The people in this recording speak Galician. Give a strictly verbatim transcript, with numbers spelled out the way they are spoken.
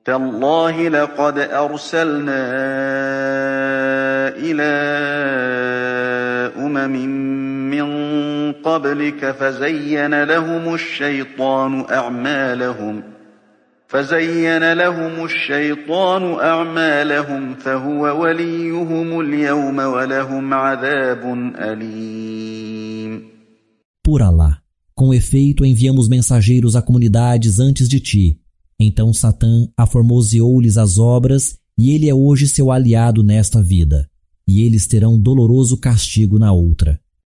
تالله لقد أرسلنا إلى أمم من قبلك فزين لهم الشيطان أعمالهم فزين لهم الشيطان أعمالهم فهو وليهم اليوم ولهم عذاب أليم. Por Alá, com efeito enviamos mensageiros a comunidades antes de ti. Então Satã aformoseou-lhes as obras e ele é hoje seu aliado nesta vida. E eles terão doloroso castigo na outra.